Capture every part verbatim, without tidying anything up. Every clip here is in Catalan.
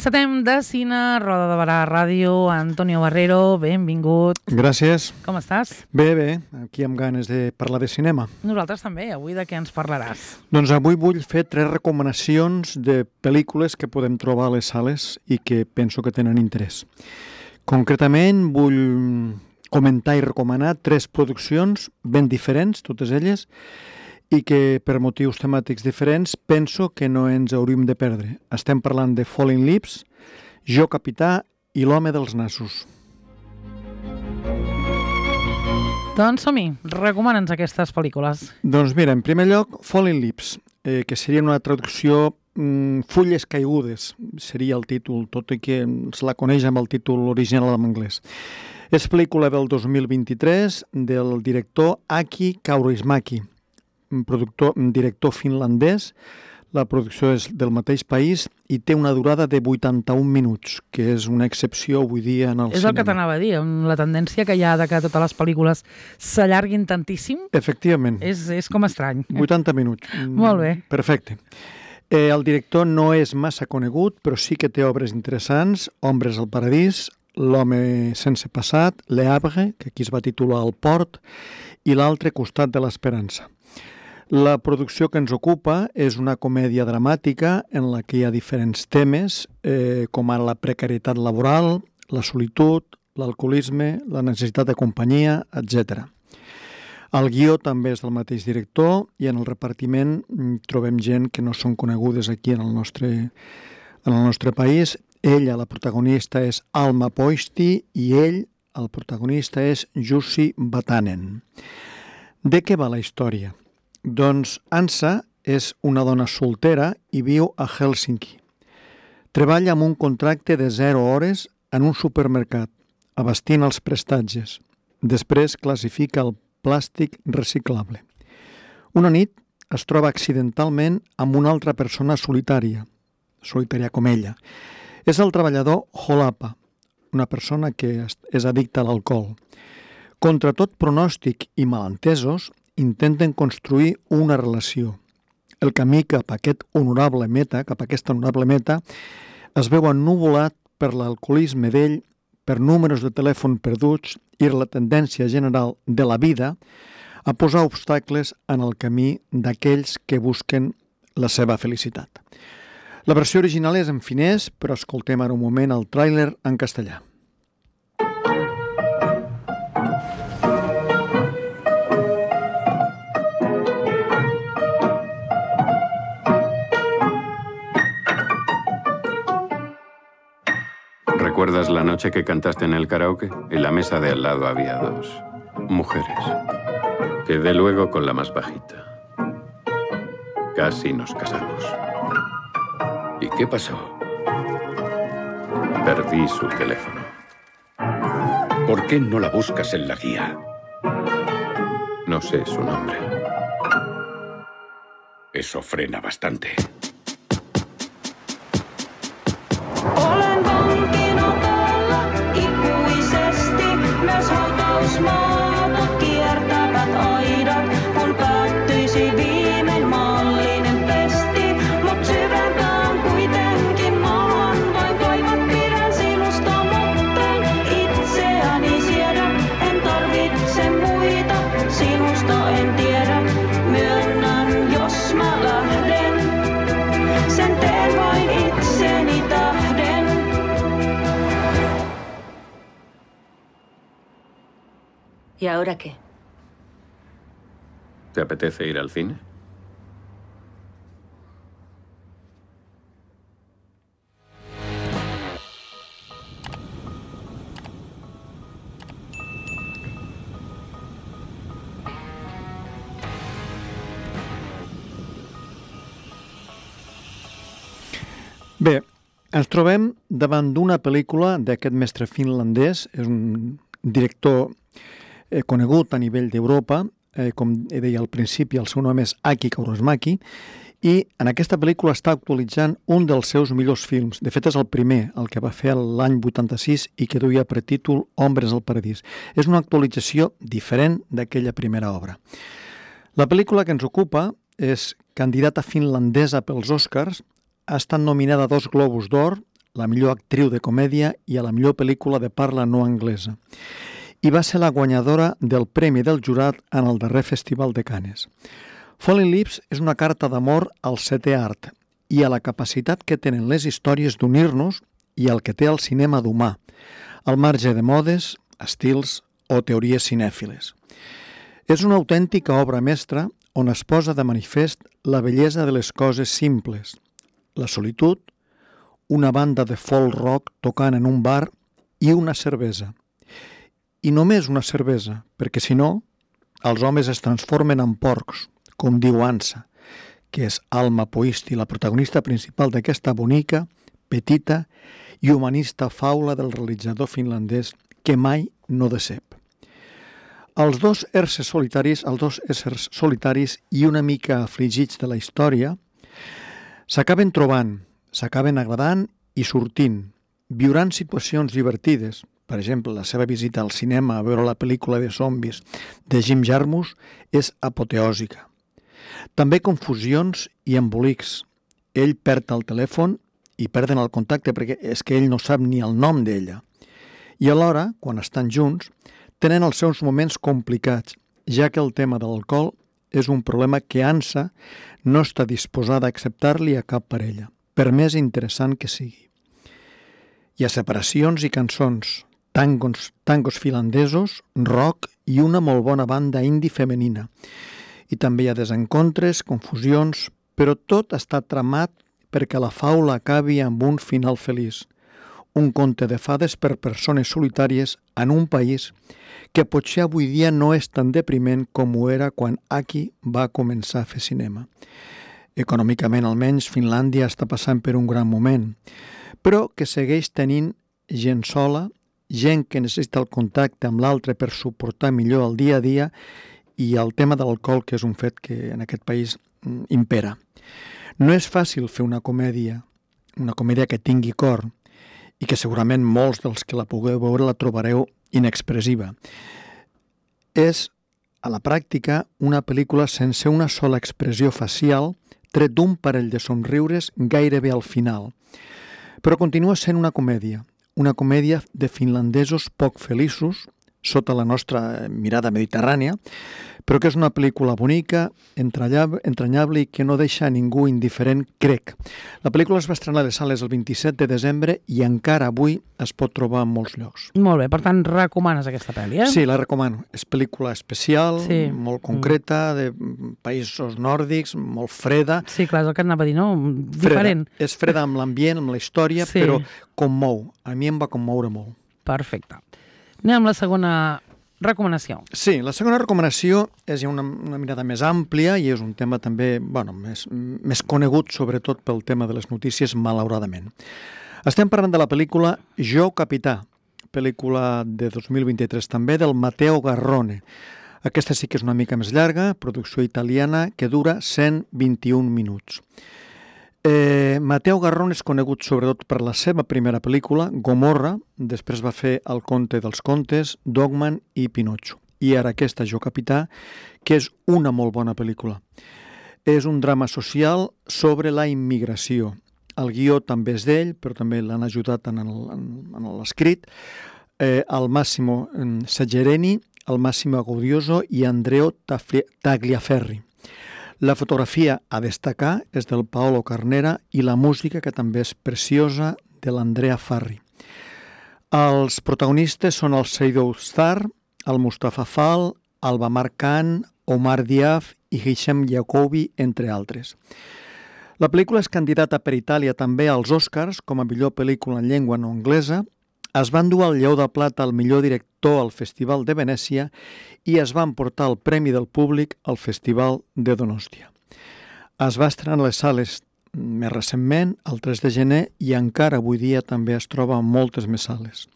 Encetem de cine, Roda de Barà Ràdio, Antonio Barrero, benvingut. Gràcies. Com estàs? Bé, bé, aquí amb ganes de parlar de cinema. Nosaltres també, avui de què ens parlaràs? Doncs avui vull fer tres recomanacions de pel·lícules que podem trobar a les sales i que penso que tenen interès. Concretament vull comentar i recomanar tres produccions ben diferents, totes elles, i que per motius temàtics diferents penso que no ens hauríem de perdre. Estem parlant de Falling Lips, Jo Capità i L'home dels nassos. Doncs som-hi, recomana'ns aquestes pel·lícules. Doncs mira, en primer lloc, Falling Lips, eh, que seria una traducció mm, Fulles caigudes, seria el títol, tot i que se la coneix amb el títol original en anglès. És pel·lícula del dos mil vint-i-tres del director Aki Kaurismäki, productor, director finlandès. La producció és del mateix país i té una durada de vuitanta-un minuts, que és una excepció avui dia en el és cinema. És el que t'anava a dir, amb la tendència que hi ha de que totes les pel·lícules s'allarguin tantíssim. Efectivament. És, és com estrany. vuitanta minuts. Molt bé. Perfecte. Eh, el director no és massa conegut, però sí que té obres interessants. Ombres al paradís, L'home sense passat, Le Havre, que aquí es va titular El port, i l'altre Costat de l'esperança. La producció que ens ocupa és una comèdia dramàtica en la que hi ha diferents temes, eh, com ara la precarietat laboral, la solitud, l'alcoholisme, la necessitat de companyia, etcètera. El guió també és del mateix director i en el repartiment trobem gent que no són conegudes aquí en el nostre, en el nostre país. Ella, la protagonista, és Alma Poisti i ell, el protagonista, és Jussi Vatanen. De què va la història? Doncs Ansa és una dona soltera i viu a Hèlsinki. Treballa amb un contracte de zero hores en un supermercat, abastint els prestatges. Després classifica el plàstic reciclable. Una nit es troba accidentalment amb una altra persona solitària, solitària com ella. És el treballador Holapa, una persona que és addicta a l'alcohol. Contra tot pronòstic i malentesos, intenten construir una relació. El camí cap a aquest honorable meta, cap a aquesta honorable meta, es veu ennuvolat per l'alcoholisme d'ell, per números de telèfon perduts i la tendència general de la vida a posar obstacles en el camí d'aquells que busquen la seva felicitat. La versió original és en finès, però escoltem ara un moment el tràiler en castellà. ¿Recuerdas la noche que cantaste en el karaoke? En la mesa de al lado había dos mujeres. Quedé luego con la más bajita. Casi nos casamos. ¿Y qué pasó? Perdí su teléfono. ¿Por qué no la buscas en la guía? No sé su nombre. Eso frena bastante. ¿Y ahora qué? ¿Te apetece ir al cine? Bé, ens trobem davant d'una pel·lícula d'aquest mestre finlandès, és un director eh, conegut a nivell d'Europa, eh, com deia al principi, el seu nom és Aki Kaurismäki, i en aquesta pel·lícula està actualitzant un dels seus millors films. De fet, és el primer, el que va fer l'any vuitanta-sis i que duia per títol Ombres al paradís. És una actualització diferent d'aquella primera obra. La pel·lícula que ens ocupa és candidata finlandesa pels Oscars, ha estat nominada a dos Globus d'Or, la millor actriu de comèdia i a la millor pel·lícula de parla no anglesa. I va ser la guanyadora del Premi del Jurat en el darrer Festival de Cannes. Falling Lips és una carta d'amor al setè art i a la capacitat que tenen les històries d'unir-nos i al que té el cinema d'humà, al marge de modes, estils o teories cinèfiles. És una autèntica obra mestra on es posa de manifest la bellesa de les coses simples, la solitud, una banda de folk rock tocant en un bar i una cervesa. I només una cervesa, perquè si no, els homes es transformen en porcs, com diu Ansa, que és Alma Poisti, la protagonista principal d'aquesta bonica, petita i humanista faula del realitzador finlandès que mai no decep. Els dos éssers solitaris, els dos éssers solitaris i una mica afligits de la història s'acaben trobant, s'acaben agradant i sortint, viuran situacions divertides. Per exemple, la seva visita al cinema a veure la pel·lícula de zombis de Jim Jarmusch és apoteòsica. També confusions i embolics. Ell perd el telèfon i perden el contacte perquè és que ell no sap ni el nom d'ella. I alhora, quan estan junts, tenen els seus moments complicats, ja que el tema de l'alcohol és un problema que Ansa no està disposada a acceptar-li a cap parella, per més interessant que sigui. Hi ha separacions i cançons, tangos, tangos finlandesos, rock i una molt bona banda indie femenina. I també hi ha desencontres, confusions, però tot està tramat perquè la faula acabi amb un final feliç. Un conte de fades per persones solitàries en un país que potser avui dia no és tan depriment com ho era quan Aki va començar a fer cinema. Econòmicament, almenys, Finlàndia està passant per un gran moment, però que segueix tenint gent sola, gent que necessita el contacte amb l'altre per suportar millor el dia a dia i el tema de l'alcohol, que és un fet que en aquest país impera. No és fàcil fer una comèdia, una comèdia que tingui cor i que segurament molts dels que la pugueu veure la trobareu inexpressiva. És, a la pràctica, una pel·lícula sense una sola expressió facial, tret d'un parell de somriures gairebé al final. Però continua sent una comèdia, una comèdia de finlandesos poc feliços, sota la nostra mirada mediterrània, però que és una pel·lícula bonica, entranyable i que no deixa a ningú indiferent, crec. La pel·lícula es va estrenar a les sales el vint-i-set de desembre i encara avui es pot trobar en molts llocs. Molt bé, per tant, recomanes aquesta pel·li, eh? Sí, la recomano. És pel·lícula especial, sí. molt concreta, de països nòrdics, molt freda. Sí, clar, és el que anava a dir, no? Diferent. Freda. És freda amb l'ambient, amb la història, sí. Però commou. A mi em va commoure molt. Perfecte. Anem amb la segona recomanació. Sí, la segona recomanació és una, una mirada més àmplia i és un tema també, bueno, més, més conegut, sobretot pel tema de les notícies, malauradament. Estem parlant de la pel·lícula Jo, Capità, pel·lícula de dos mil vint-i-tres també, del Matteo Garrone. Aquesta sí que és una mica més llarga, producció italiana, que dura cent vint-i-un minuts. Eh, Matteo Garrone és conegut sobretot per la seva primera pel·lícula, Gomorra, després va fer El conte dels contes, Dogman i Pinocchio. I ara aquesta, Jo, Capità, que és una molt bona pel·lícula. És un drama social sobre la immigració. El guió també és d'ell, però també l'han ajudat en l'escrit. Eh, el Massimo Saggereni, el Massimo Gaudioso i Andrea Tagliaferri. La fotografia a destacar és del Paolo Carnera i la música, que també és preciosa, de l'Andrea Farri. Els protagonistes són el Seydoux Star, el Mustafa Fall, el Bamar Khan, Omar Diaf i Hisham Jacobi, entre altres. La pel·lícula és candidata per Itàlia també als Oscars com a millor pel·lícula en llengua no anglesa. Es van dur el Lleó de Plata al millor director al Festival de Venècia i es van portar el Premi del Públic al Festival de Donòstia. Es va estrenar a les sales més recentment, el tres de gener, i encara avui dia també es troba en moltes més sales.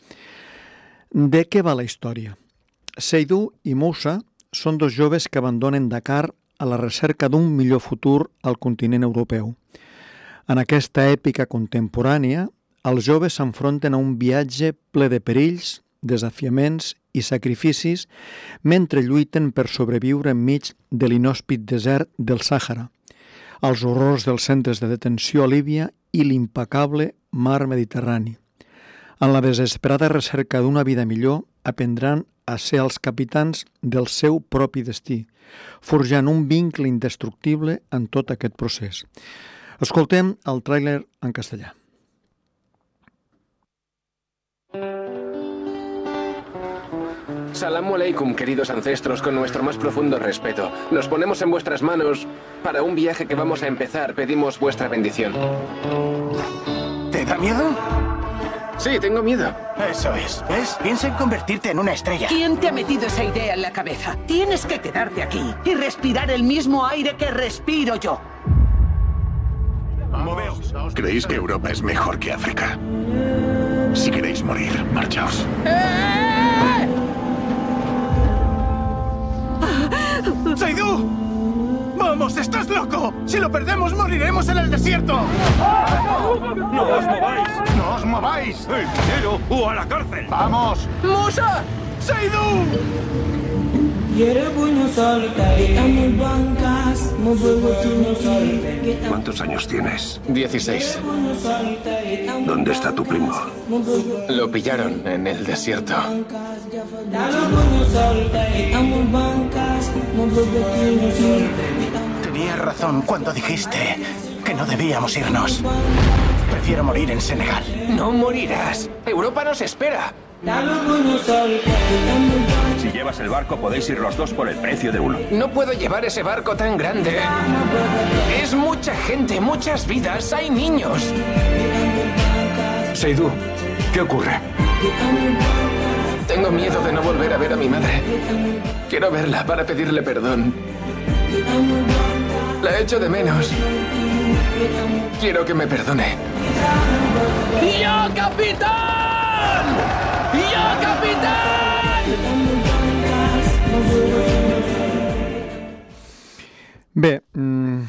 De què va la història? Seydou i Moussa són dos joves que abandonen Dakar a la recerca d'un millor futur al continent europeu. En aquesta èpica contemporània, els joves s'enfronten a un viatge ple de perills, desafiaments i sacrificis mentre lluiten per sobreviure enmig de l'inhòspit desert del Sàhara, els horrors dels centres de detenció a Líbia i l'impecable mar Mediterrani. En la desesperada recerca d'una vida millor, aprendran a ser els capitans del seu propi destí, forjant un vincle indestructible en tot aquest procés. Escoltem el tràiler en castellà. Salamu alaikum, queridos ancestros, con nuestro más profundo respeto. Nos ponemos en vuestras manos para un viaje que vamos a empezar. Pedimos vuestra bendición. ¿Te da miedo? Sí, tengo miedo. Eso es, ¿ves? Piensa en convertirte en una estrella. ¿Quién te ha metido esa idea en la cabeza? Tienes que quedarte aquí y respirar el mismo aire que respiro yo. Moveos. ¿Creéis que Europa es mejor que África? Si queréis morir, marchaos. ¡Eh! ¡Seidú! ¡Vamos, estás loco! Si lo perdemos, moriremos en el desierto. ¡No os mováis! ¡No os mováis! ¡El dinero o a la cárcel! ¡Vamos! ¡Musa! ¡Seidú! ¿Cuántos años tienes? dieciséis. ¿Dónde está tu primo? Lo pillaron en el desierto. Tenías razón cuando dijiste que no debíamos irnos. Prefiero morir en Senegal. No morirás. Europa nos espera. Si llevas el barco, podéis ir los dos por el precio de uno. No puedo llevar ese barco tan grande. Es mucha gente, muchas vidas. Hay niños. Seidú, ¿qué ocurre? Tengo miedo de no volver a ver a mi madre. Quiero verla para pedirle perdón. La echo de menos. Quiero que me perdone. ¡Yo, capitán! ¡Yo, capitán! Bé, mm,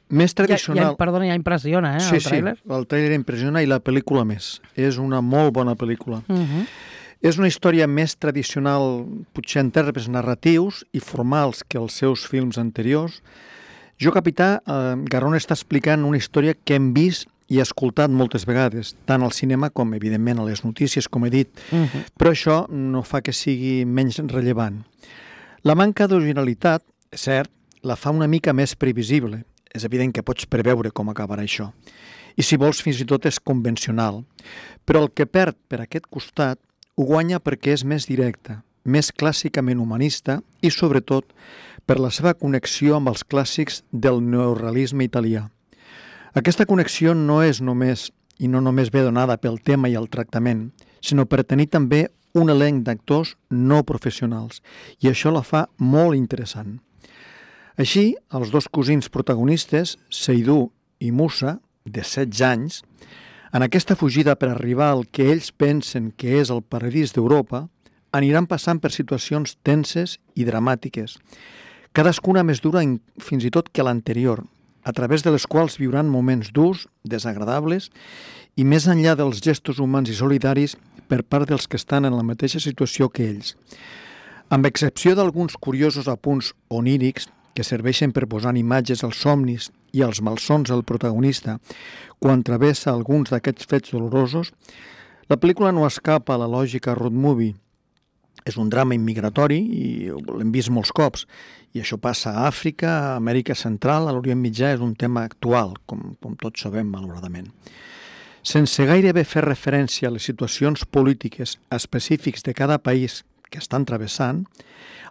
més tradicional... Ja, ja, perdona, ja impressiona, eh, sí, el tràiler? Sí, el tràiler impressiona i la pel·lícula més. És una molt bona pel·lícula. Uh -huh. És una història més tradicional, potser en termes narratius i formals que els seus films anteriors. Jo, capità, eh, Garrón està explicant una història que hem vist i escoltat moltes vegades, tant al cinema com, evidentment, a les notícies, com he dit, uh -huh. però això no fa que sigui menys rellevant. La manca d'originalitat, és cert, la fa una mica més previsible. És evident que pots preveure com acabarà això. I si vols, fins i tot és convencional. Però el que perd per aquest costat ho guanya perquè és més directa, més clàssicament humanista i, sobretot, per la seva connexió amb els clàssics del neorealisme italià. Aquesta connexió no és només, i no només ve donada pel tema i el tractament, sinó per tenir també un elenc d'actors no professionals, i això la fa molt interessant. Així, els dos cosins protagonistes, Seidú i Musa, de setze anys, en aquesta fugida per arribar al que ells pensen que és el paradís d'Europa, aniran passant per situacions tenses i dramàtiques, cadascuna més dura fins i tot que l'anterior, a través de les quals viuran moments durs, desagradables, i més enllà dels gestos humans i solidaris per part dels que estan en la mateixa situació que ells. Amb excepció d'alguns curiosos apunts onírics que serveixen per posar imatges als somnis i als malsons del protagonista quan travessa alguns d'aquests fets dolorosos, la pel·lícula no escapa a la lògica road movie. És un drama immigratori i l'hem vist molts cops, i això passa a Àfrica, a Amèrica Central, a l'Orient Mitjà, és un tema actual, com, com tots sabem, malauradament. Sense gairebé fer referència a les situacions polítiques específics de cada país que estan travessant,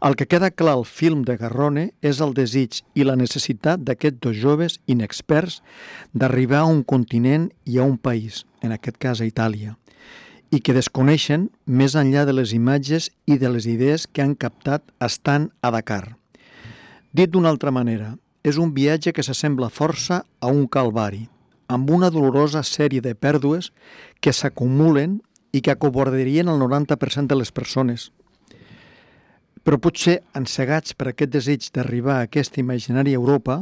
el que queda clar al film de Garrone és el desig i la necessitat d'aquests dos joves inexperts d'arribar a un continent i a un país, en aquest cas a Itàlia, i que desconeixen més enllà de les imatges i de les idees que han captat estant a Dakar. Dit d'una altra manera, és un viatge que s'assembla força a un calvari, amb una dolorosa sèrie de pèrdues que s'acumulen i que acobardarien el noranta per cent de les persones. Però potser, encegats per aquest desig d'arribar a aquesta imaginària Europa,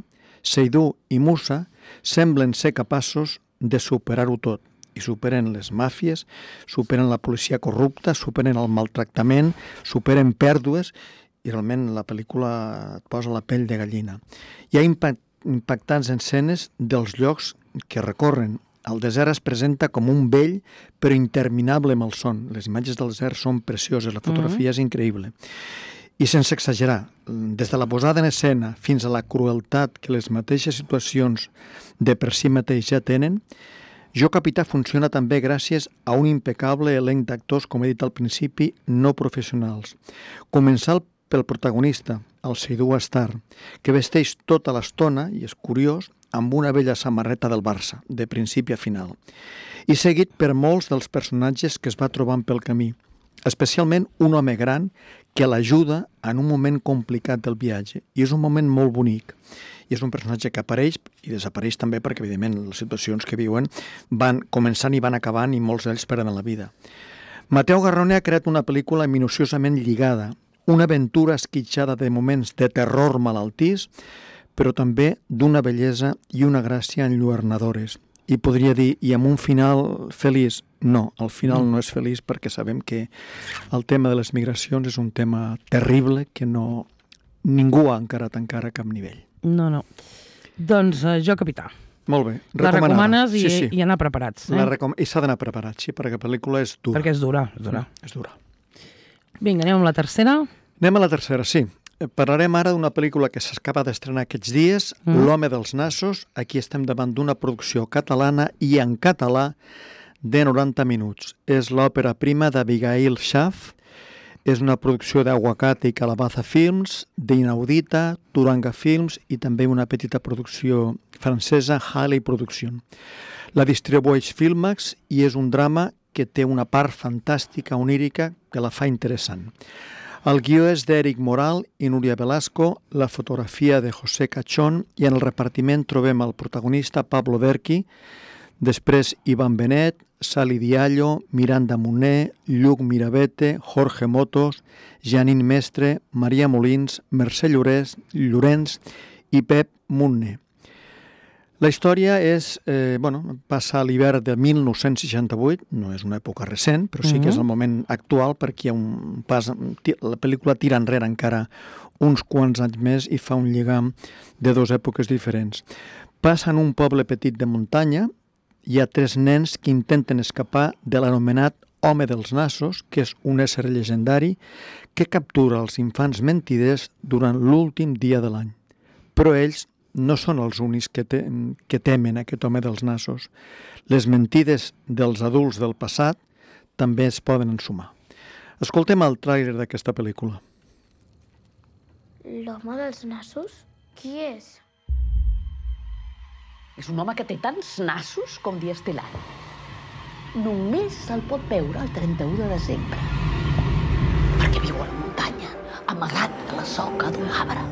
Seidú i Musa semblen ser capaços de superar-ho tot. I superen les màfies, superen la policia corrupta, superen el maltractament, superen pèrdues, i realment la pel·lícula et posa la pell de gallina. Hi ha impactants escenes dels llocs que recorren El desert es presenta com un vell però interminable malson. Les imatges del desert són precioses, la fotografia mm-hmm. és increïble. I sense exagerar, des de la posada en escena fins a la crueltat que les mateixes situacions de per si mateix ja tenen, Jo Capità funciona també gràcies a un impecable elenc d'actors, com he dit al principi, no professionals. Començant pel protagonista, el Seydou Astar, que vesteix tota l'estona, i és curiós, amb una vella samarreta del Barça, de principi a final. I seguit per molts dels personatges que es va trobant pel camí, especialment un home gran que l'ajuda en un moment complicat del viatge. I és un moment molt bonic. I és un personatge que apareix i desapareix també perquè, evidentment, les situacions que viuen van començant i van acabant i molts d'ells perden la vida. Mateu Garrone ha creat una pel·lícula minuciosament lligada, una aventura esquitxada de moments de terror malaltís, però també d'una bellesa i una gràcia enlluernadores. I podria dir, i amb un final feliç? No, el final no és feliç perquè sabem que el tema de les migracions és un tema terrible que no ningú ha encarat encara a cap nivell. No, no. Doncs uh, Jo Capità. Molt bé. La recomanes i, sí, sí. i anar preparats. Eh? La recom... I s'ha d'anar preparat, sí, perquè la pel·lícula és dura. Perquè és dura. És dura. És dura. Vinga, anem amb la tercera. Anem a la tercera, sí. Parlarem ara d'una pel·lícula que s'acaba d'estrenar aquests dies, mm. L'home dels nassos. Aquí estem davant d'una producció catalana i en català de noranta minuts. És l'òpera prima d'Abigail Schaff. És una producció d'Aguacate i Calabaza Films, d'Inaudita, Turanga Films i també una petita producció francesa, Halley Production. La distribueix Filmax i és un drama que té una part fantàstica, onírica, que la fa interessant. El guió és d'Eric Moral i Núria Velasco, la fotografia de José Cachón i en el repartiment trobem el protagonista Pablo Derqui, després Ivan Benet, Sali Diallo, Miranda Moner, Lluc Mirabete, Jorge Motos, Janine Mestre, Maria Molins, Mercè Llorens, Llorenç i Pep Munne. La història és, eh, bueno, passa a l'hivern de mil nou-cents seixanta-vuit, no és una època recent, però sí que és el moment actual perquè hi ha un pas, la pel·lícula tira enrere encara uns quants anys més i fa un lligam de dues èpoques diferents. Passa en un poble petit de muntanya. Hi ha tres nens que intenten escapar de l'anomenat home dels nassos, que és un ésser llegendari que captura els infants mentiders durant l'últim dia de l'any. Però ells no són els únics que, te que temen aquest home dels nassos. Les mentides dels adults del passat també es poden ensumar. Escoltem el tràiler d'aquesta pel·lícula. L'home dels nassos? Qui és? És un home que té tants nassos com dies té l'any. Només se'l pot veure el trenta-u de desembre. Perquè viu a la muntanya, amagat a la soca d'un arbre.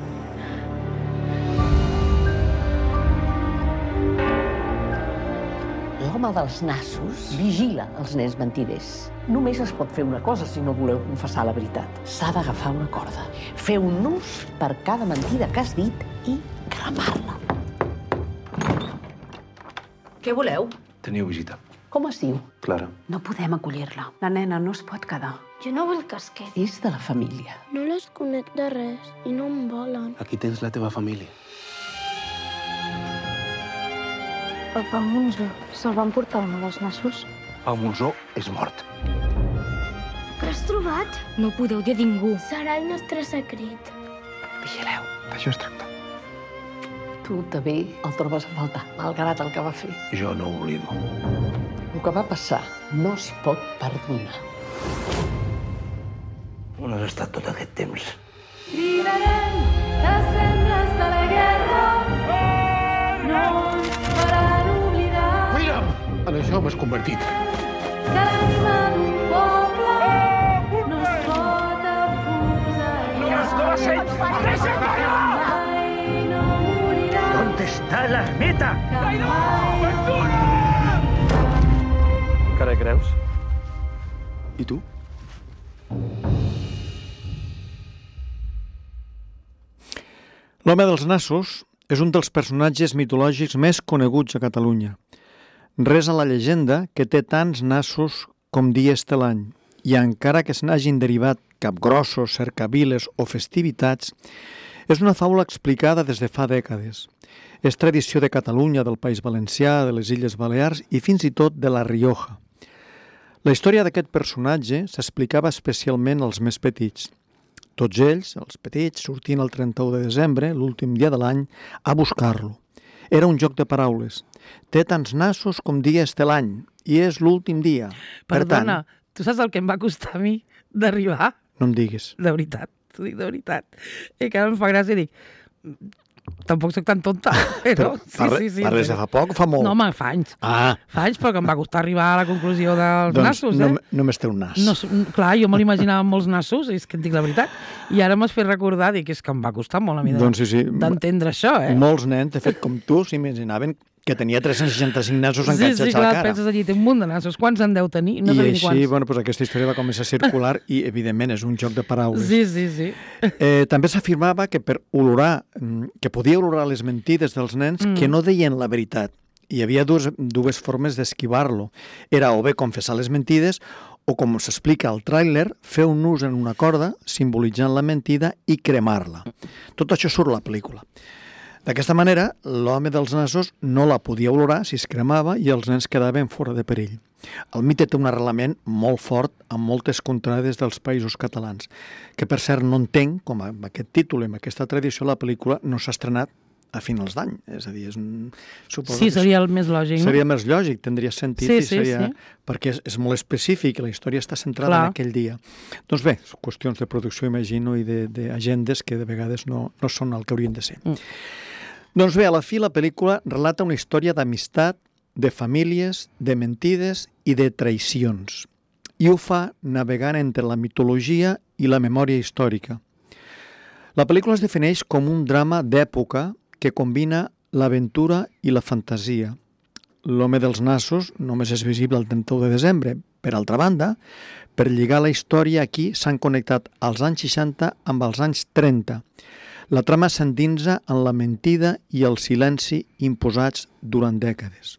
L'home dels nassos vigila els nens mentiders. Només es pot fer una cosa si no voleu confessar la veritat. S'ha d'agafar una corda, fer un nus per cada mentida que has dit i cremar-la. Què voleu? Teniu visita. Com es diu? Clara. No podem acollir-la. La nena no es pot quedar. Jo no vull que es quedi. És de la família. No les conec de res i no em volen. Aquí tens la teva família. El Pau Monzó se'l van portar l'home dels nassos. Pau Monzó és mort. Què has trobat? No ho podeu dir a ningú. Serà el nostre secret. Vigileu. D'això es tracta. Tu també el trobes a faltar, malgrat el que va fer. Jo no ho oblido. El que va passar no es pot perdonar. On has estat tot aquest temps? Cridarem les cendres de la guerra. No ens faran oblidar. Mira'm! En això m'has convertit. Que l'ànima d'un poble no es pot enfusar. No es doce! Deixa'm parar! ¿Dónde está la ermita? Encara hi creus? I tu? L'home dels nassos és un dels personatges mitològics més coneguts a Catalunya. Res a la llegenda que té tants nassos com dies té l'any, i encara que se n'hagin derivat capgrossos, cercaviles o festivitats, És una faula explicada des de fa dècades. És tradició de Catalunya, del País Valencià, de les Illes Balears i fins i tot de la Rioja. La història d'aquest personatge s'explicava especialment als més petits. Tots ells, els petits, sortien el trenta-u de desembre, l'últim dia de l'any, a buscar-lo. Era un joc de paraules. Té tants nassos com dies té l'any, i és l'últim dia. Perdona, per tant, tu saps el que em va costar a mi d'arribar? No em diguis. De veritat, t'ho dic de veritat. I que ara em fa gràcia i dic, tampoc soc tan tonta, però... però sí, parle, sí, sí, parles de fa poc o fa molt? No, home, fa anys. Ah. Fa anys, però que em va costar arribar a la conclusió dels doncs nassos, eh? Doncs no, només té un nas. No, clar, jo me l'imaginava amb molts nassos, és que et dic la veritat. I ara m'has fet recordar, dic, és que em va costar molt a mi doncs sí, sí. d'entendre això, eh? Molts nens, de fet, com tu, s'imaginaven que tenia tres-cents seixanta-cinc nassos enganxats sí, sí, a la clar, cara. penses allí, té un munt de nassos. Quants en deu tenir? No I sabem així, quants. bueno, doncs aquesta història va començar a circular i, evidentment, és un joc de paraules. Sí, sí, sí. Eh, també s'afirmava que per olorar, que podia olorar les mentides dels nens mm. que no deien la veritat. Hi havia dues, dues formes d'esquivar-lo. Era o bé confessar les mentides o, com s'explica al tràiler, fer un nus en una corda simbolitzant la mentida i cremar-la. Tot això surt a la pel·lícula. D'aquesta manera, l'home dels nassos no la podia olorar si es cremava i els nens quedaven fora de perill. El mite té un arrelament molt fort amb moltes contrades dels països catalans, que per cert no entenc com amb aquest títol i amb aquesta tradició la pel·lícula no s'ha estrenat a finals d'any. És a dir, és un... Suposo sí, seria el més lògic, no? Seria més lògic, tindria sentit sí, i seria... Sí, sí. Perquè és, és molt específic, la història està centrada Clar. en aquell dia. Doncs bé, qüestions de producció, imagino, i d'agendes que de vegades no, no són el que haurien de ser. Mm. Doncs bé, a la fi la pel·lícula relata una història d'amistat, de famílies, de mentides i de traïcions. I ho fa navegant entre la mitologia i la memòria històrica. La pel·lícula es defineix com un drama d'època que combina l'aventura i la fantasia. L'home dels nassos només és visible el trenta-u de desembre. Per altra banda, per lligar la història aquí s'han connectat els anys seixanta amb els anys trenta. La trama s'endinsa en la mentida i el silenci imposats durant dècades.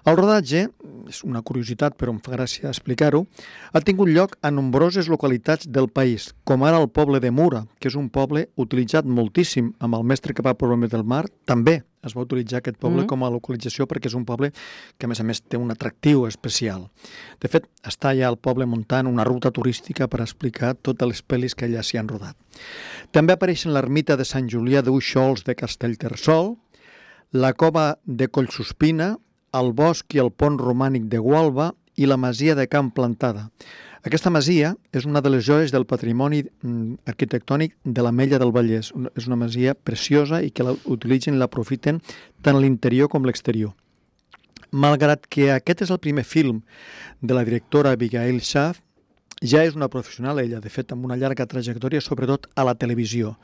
El rodatge, és una curiositat però em fa gràcia explicar-ho, ha tingut lloc a nombroses localitats del país, com ara el poble de Mura, que és un poble utilitzat moltíssim amb el mestre que va per l'home del mar. També es va utilitzar aquest poble mm. com a localització perquè és un poble que a més a més té un atractiu especial. De fet, està allà al poble muntant una ruta turística per explicar totes les pel·lis que allà s'hi han rodat. També apareixen l'ermita de Sant Julià d'Uixols de Castellterçol, la cova de Collsuspina, el bosc i el pont romànic de Gualba i la masia de Camp Plantada. Aquesta masia és una de les joies del patrimoni arquitectònic de l'Ametlla del Vallès. És una masia preciosa i que la utilitzen i l'aprofiten tant a l'interior com a l'exterior. Malgrat que aquest és el primer film de la directora Abigail Schaaf, ja és una professional ella, de fet, amb una llarga trajectòria, sobretot a la televisió,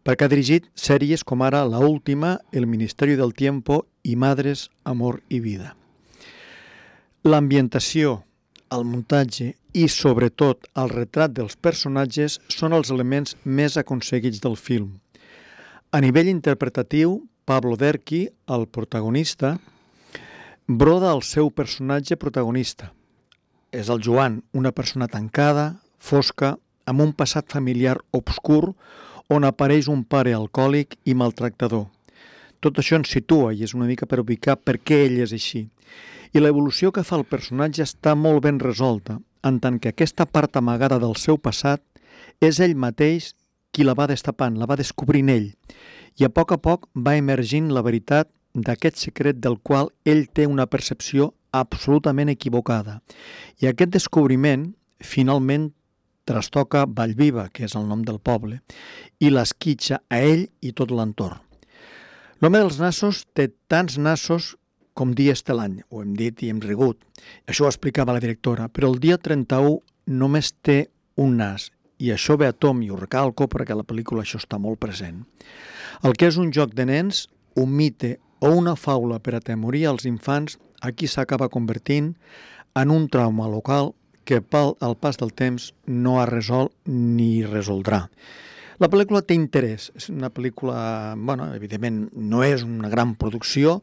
perquè ha dirigit sèries com ara La Última, El Ministerio del Tiempo i Madres, Amor i Vida. L'ambientació, el muntatge i, sobretot, el retrat dels personatges són els elements més aconseguits del film. A nivell interpretatiu, Pablo Derqui, el protagonista, broda el seu personatge protagonista. És el Joan, una persona tancada, fosca, amb un passat familiar obscur on apareix un pare alcohòlic i maltractador. Tot això ens situa i és una mica per ubicar per què ell és així. I l'evolució que fa el personatge està molt ben resolta, en tant que aquesta part amagada del seu passat és ell mateix qui la va destapant, la va descobrint ell. I a poc a poc va emergint la veritat d'aquest secret del qual ell té una percepció absolutament equivocada. I aquest descobriment, finalment, trastoca Vallviva, que és el nom del poble, i l'esquitxa a ell i tot l'entorn. L'home dels nassos té tants nassos com dies té l'any, ho hem dit i hem rigut. Això ho explicava la directora, però el dia trenta-u només té un nas, i això ve a tom, i ho recalco perquè a la pel·lícula això està molt present. El que és un joc de nens, un mite o una faula per atemorir els infants, aquí s'acaba convertint en un trauma local que pel al pas del temps no ha resolt ni resoldrà. La pel·lícula té interès, és una pel·lícula, bueno, evidentment no és una gran producció,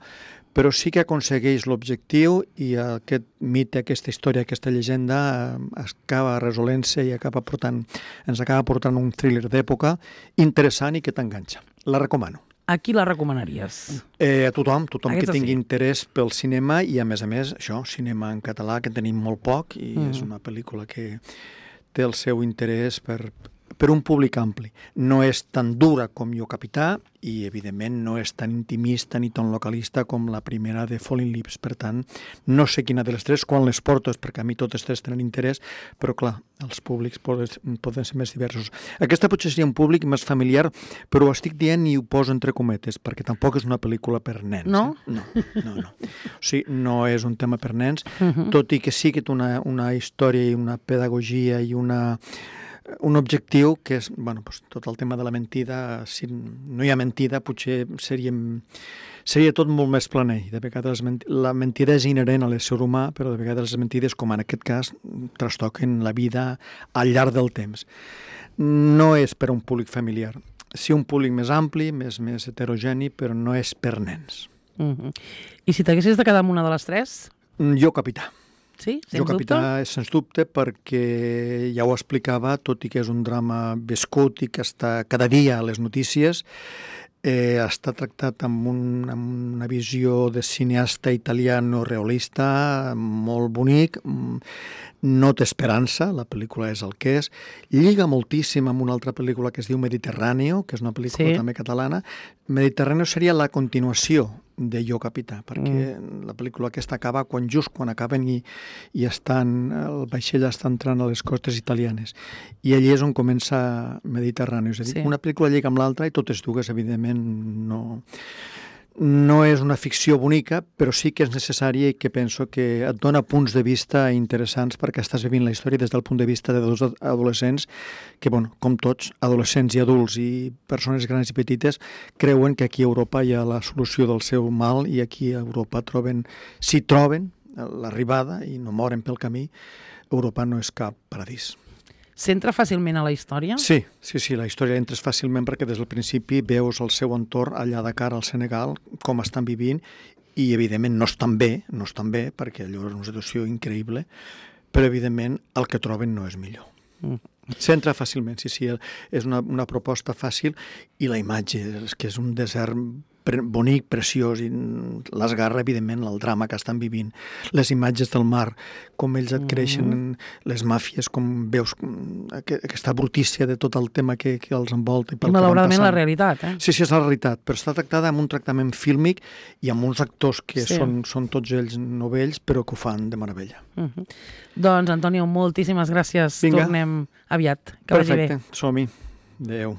però sí que aconsegueix l'objectiu i aquest mite, aquesta història, aquesta llegenda eh, acaba resolent-se i acaba portant, ens acaba portant un thriller d'època interessant i que t'enganxa. La recomano. A qui la recomanaries? Eh, a tothom, tothom Aquesta que tingui sí. interès pel cinema i, a més a més, això, cinema en català, que tenim molt poc i mm. és una pel·lícula que té el seu interès per, per un públic ampli. No és tan dura com Jo Capità i, evidentment, no és tan intimista ni tan localista com la primera de Falling Lips. Per tant, no sé quina de les tres, quan les porto, perquè a mi totes tres tenen interès, però, clar, els públics poden, poden ser més diversos. Aquesta potser seria un públic més familiar, però ho estic dient i ho poso entre cometes, perquè tampoc és una pel·lícula per nens. No? Eh? No, no, no. O sigui, no és un tema per nens, Uh-huh. tot i que sí que té una, una història i una pedagogia i una un objectiu que és, bueno, doncs, tot el tema de la mentida, si no hi ha mentida, potser seríem, seria tot molt més planer. De vegades la mentida és inherent a l'ésser humà, però de vegades les mentides, com en aquest cas, trastoquen la vida al llarg del temps. No és per a un públic familiar. Sí, un públic més ampli, més, més heterogeni, però no és per nens. Uh-huh. I si t'haguessis de quedar amb una de les tres? Jo Capità. Sí? Sens Jo Capità dubte? és sens dubte perquè ja ho explicava, tot i que és un drama viscut i que està cada dia a les notícies, eh, està tractat amb, un, amb una visió de cineasta italià neorealista molt bonic, no té esperança, la pel·lícula és el que és, lliga moltíssim amb una altra pel·lícula que es diu Mediterráneo, que és una pel·lícula Sí. també catalana. Mediterráneo seria la continuació de Jo Capità, perquè mm. la pel·lícula aquesta acaba quan just quan acaben i, i estan, el vaixell està entrant a les costes italianes. I allí és on comença Mediterrani. És a dir, Sí. una pel·lícula lliga amb l'altra i totes dues, evidentment, no, no és una ficció bonica, però sí que és necessària i que penso que et dona punts de vista interessants perquè estàs vivint la història des del punt de vista de dos adolescents que, bueno, com tots, adolescents i adults i persones grans i petites, creuen que aquí a Europa hi ha la solució del seu mal i aquí a Europa troben, si troben l'arribada i no moren pel camí, Europa no és cap paradís. S'entra fàcilment a la història? Sí, sí, sí, la història entres fàcilment perquè des del principi veus el seu entorn allà a Dakar, al Senegal, com estan vivint i, evidentment, no estan bé, no estan bé, perquè allò és una situació increïble, però, evidentment, el que troben no és millor. Mm. S'entra fàcilment, sí, sí, és una, una proposta fàcil i la imatge és que és un desert pre bonic, preciós, i l'esgarra, evidentment, el drama que estan vivint, les imatges del mar, com ells adquireixen mm. les màfies, com veus aquesta brutícia de tot el tema que, que els envolta. I malauradament la realitat, eh? Sí, sí, és la realitat, però està tractada amb un tractament fílmic i amb uns actors que sí. són, són tots ells novells, però que ho fan de meravella. Uh -huh. Doncs, Antonio, moltíssimes gràcies. Vinga. Tornem aviat. Que Perfecte, vagi bé. som-hi. Adéu.